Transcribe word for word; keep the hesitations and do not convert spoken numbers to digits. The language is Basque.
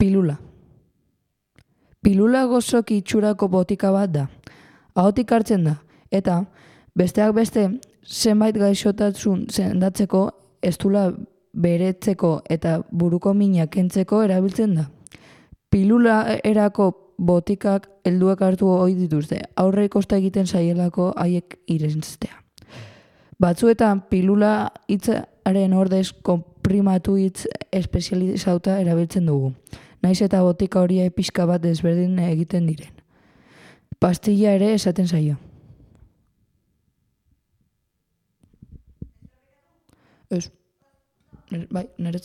Pilula. Pilula gozoki itxurako botika bat da. Ahotik hartzen da, eta besteak beste zenbait gaixotasun sendatzeko, eztula beretzeko eta buruko mina kentzeko erabiltzen da. Pilula erako botikak helduek hartu ohi dituzte, aurre kosta egiten zaielako haiek irenstea. Batzuetan pilula hitzaren ordez konprimatu hitz espezializauta erabiltzen dugu. Naiz eta botika horia pixka bat desberdin egiten diren. Pastilla ere esaten zaio. Ez. Bai, nerez.